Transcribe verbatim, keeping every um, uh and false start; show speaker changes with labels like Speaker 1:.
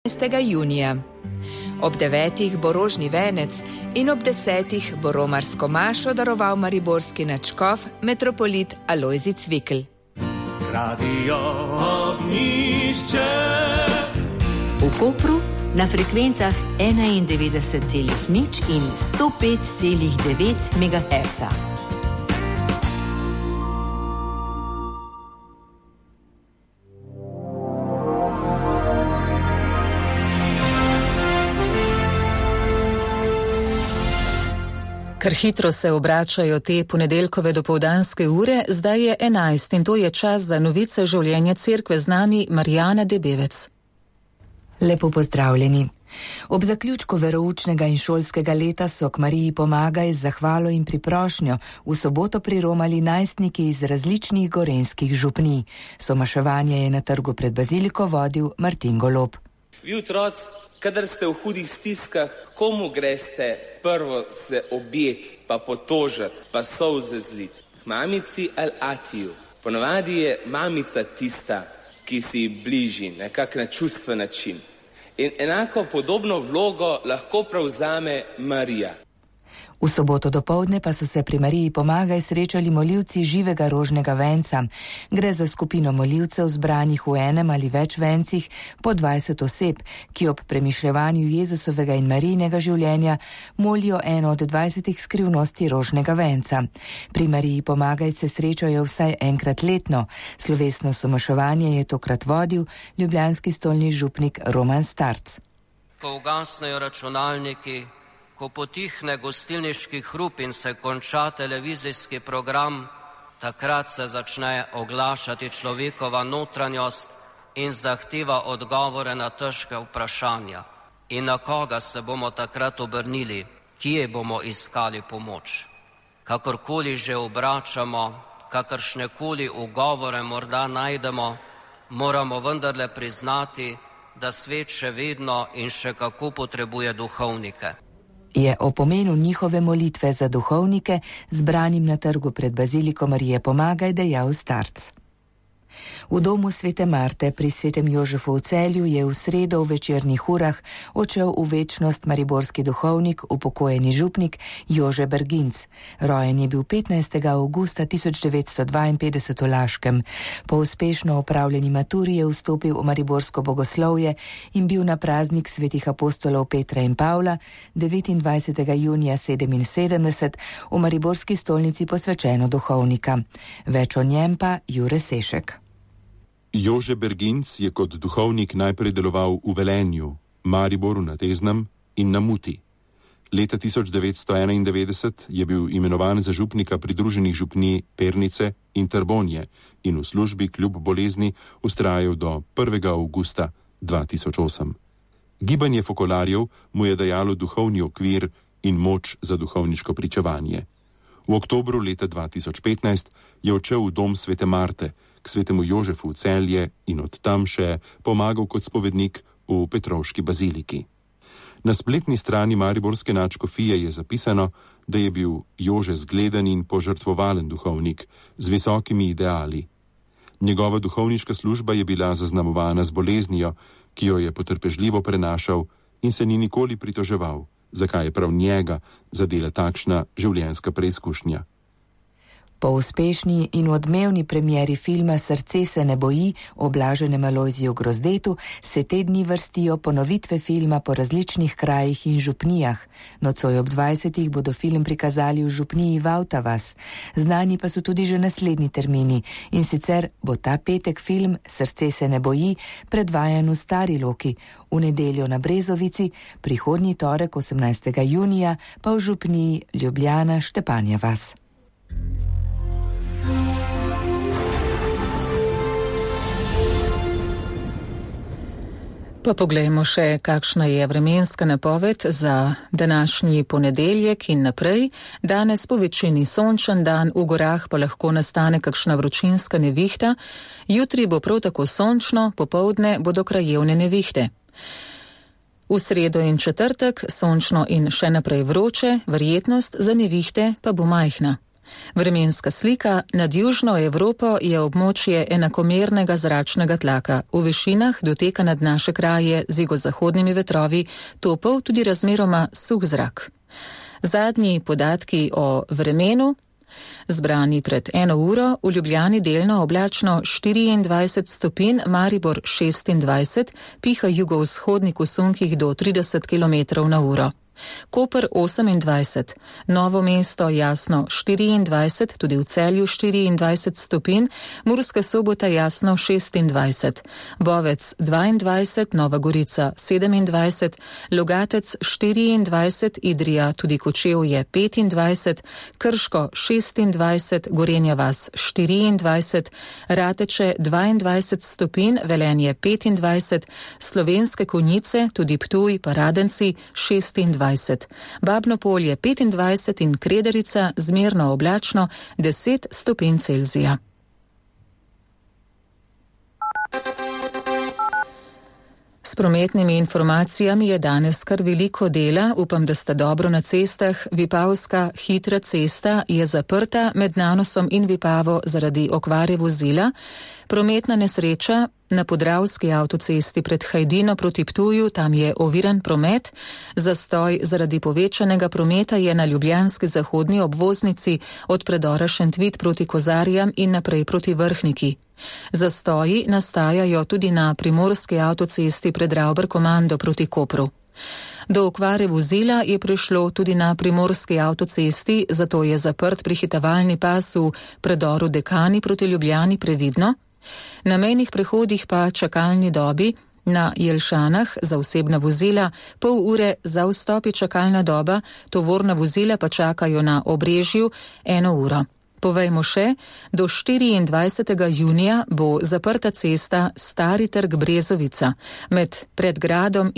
Speaker 1: enajstega junija. Ob devetih bo rožni venec in ob desetih bo romarsko mašo daroval mariborski nadškof metropolit Alojzij Cvikl.
Speaker 2: Radio Ognjišče.
Speaker 3: V Kopru na frekvencah enaindevetdeset celih nič in sto pet celih devet megaherca.
Speaker 4: Kar hitro se obračajo te ponedeljkove dopoldanske ure, zdaj je enajst in to je čas za novice življenja cerkve, z nami Marijana Debevec.
Speaker 1: Lepo pozdravljeni. Ob zaključku veroučnega in šolskega leta so k Mariji Pomagaj z zahvalo in priprošnjo v soboto priromali najstniki iz različnih gorenjskih župnij. Somaševanje je na trgu pred baziliko vodil Martin Golob.
Speaker 5: Vi otroci, kadar ste v hudih stiskah, komu greste prvo se objet, pa potožat, pa solze zlit? K mamici ali atiju. Ponavadi je mamica tista, ki si bliži, nekak na čustven način. In enako podobno vlogo lahko prevzame Marija.
Speaker 1: V soboto dopoldne pa so se pri Mariji Pomagaj srečali molivci živega rožnega venca. Gre za skupino molivcev zbranih v enem ali več vencih po dvajset oseb, ki ob premišljevanju Jezusovega in Marijinega življenja molijo eno od dvajsetih skrivnosti rožnega venca. Pri Mariji Pomagaj se srečajo vsaj enkrat letno. Slovesno somaševanje je tokrat vodil ljubljanski stolni župnik Roman Starc.
Speaker 6: Ko ugasnejo računalniki, ko potihne gostilniški hrup in se konča televizijski program, takrat se začne oglašati človekova notranjost in zahteva odgovore na težke vprašanja. In na koga se bomo takrat obrnili, kje bomo iskali pomoč? Kakorkoli že obračamo, kakršnekoli ugovore morda najdemo, moramo vendarle priznati, da svet še vedno in še kako potrebuje duhovnike.
Speaker 1: Je o pomenu njihove molitve za duhovnike zbranim na trgu pred baziliko Marije Pomagaj dejal Starc. V domu Svete Marte pri Svetem Jožefu v Celju je v sredo v večernih urah odšel v večnost mariborski duhovnik, upokojeni župnik Jože Berginc. Rojen je bil petnajstega avgusta tisoč devetsto dvainpetdeset v Laškem. Po uspešno opravljeni maturi je vstopil v mariborsko bogoslovje in bil na praznik svetih apostolov Petra in Pavla devetindvajsetega junija sedeminsedemdeset v mariborski stolnici posvečeno duhovnika. Več o njem pa Jure Sešek.
Speaker 7: Jože Berginc je kot duhovnik najprej deloval v Velenju, Mariboru na Teznem in na Muti. Leta tisoč devetsto enaindevetdeset je bil imenovan za župnika pridruženih župnij Pernice in Trbonje in v službi kljub bolezni vztrajal do prvega avgusta dva tisoč osem. Gibanje fokolarjev mu je dajalo duhovni okvir in moč za duhovniško pričevanje. V oktobru leta dva tisoč petnajst je odšel v dom Svete Marte k Svetemu Jožefu v Celje in od tam še pomagal kot spovednik v Petrovški baziliki. Na spletni strani mariborske nadškofije je zapisano, da je bil Jože zgleden in požrtvovalen duhovnik z visokimi ideali. Njegova duhovniška služba je bila zaznamovana z boleznijo, ki jo je potrpežljivo prenašal in se ni nikoli pritoževal, zakaj je prav njega zadela takšna življenjska preizkušnja.
Speaker 1: Po uspešni in odmevni premieri filma Srce se ne boji o blaženem Alojziju Grozdetu se te dni vrstijo ponovitve filma po različnih krajih in župnijah. Nocoj ob dvajsetih bodo film prikazali v župniji Vavtavas. Znani pa so tudi že naslednji termini in sicer bo ta petek film Srce se ne boji predvajan v Stari Loki, v nedeljo na Brezovici, prihodnji torek osemnajstega junija pa v župniji Ljubljana Štepanja vas.
Speaker 4: Pa poglejmo še, kakšna je vremenska napoved za današnji ponedeljek in naprej. Danes po večini sončen dan, v gorah pa lahko nastane kakšna vročinska nevihta. Jutri bo prav tako sončno, popoldne bodo krajevne nevihte. V sredo in četrtek sončno in še naprej vroče, verjetnost za nevihte pa bo majhna. Vremenska slika: nad južno Evropo je območje enakomernega zračnega tlaka. V višinah doteka nad naše kraje z jugozahodnimi vetrovi topel tudi razmeroma suh zrak. Zadnji podatki o vremenu. Zbrani pred eno uro, v Ljubljani delno oblačno štiriindvajset stopinj, Maribor šestindvajset, piha jugovzhodnik v sunkih do trideset kilometrov na uro. Koper osemindvajset, Novo mesto jasno štiriindvajset, tudi v Celju štiriindvajset stopinj, Murska Sobota jasno šestindvajset, Bovec dvaindvajset, Nova Gorica sedemindvajset, Logatec štiriindvajset, Idrija tudi Kočevje petindvajset, Krško šestindvajset, Gorenja vas štiriindvajset, Rateče dvaindvajset stopinj, Velenje petindvajset, Slovenske Konjice, tudi Ptuj pa Radenci šestindvajset. Babno Polje petindvajset in Krederica zmerno oblačno deset stopinj Celzija. S prometnimi informacijami je danes kar veliko dela, upam, da sta dobro na cestah. Vipavska hitra cesta je zaprta med Nanosom in Vipavo zaradi okvare vozila. Prometna nesreča na Podravski avtocesti pred Hajdino proti Ptuju, tam je oviran promet. Zastoj zaradi povečanega prometa je na ljubljanski zahodni obvoznici od predora Šentvid proti Kozarjam in naprej proti Vrhniki. Zastoji nastajajo tudi na primorski avtocesti pred Ravber-Komando proti Kopru. Do okvare vozila je prišlo tudi na primorski avtocesti, zato je zaprt prehitevalni pas v predoru Dekani proti Ljubljani previdno. Na mejnih prehodih pa čakalni dobi, na Jelšanah za osebna vozila pol ure za vstop je čakalna doba, tovorna vozila pa čakajo na Obrežju eno uro. Povejmo še, do štiriindvajsetega junija bo zaprta cesta Stari trg Brezovica med Predgradom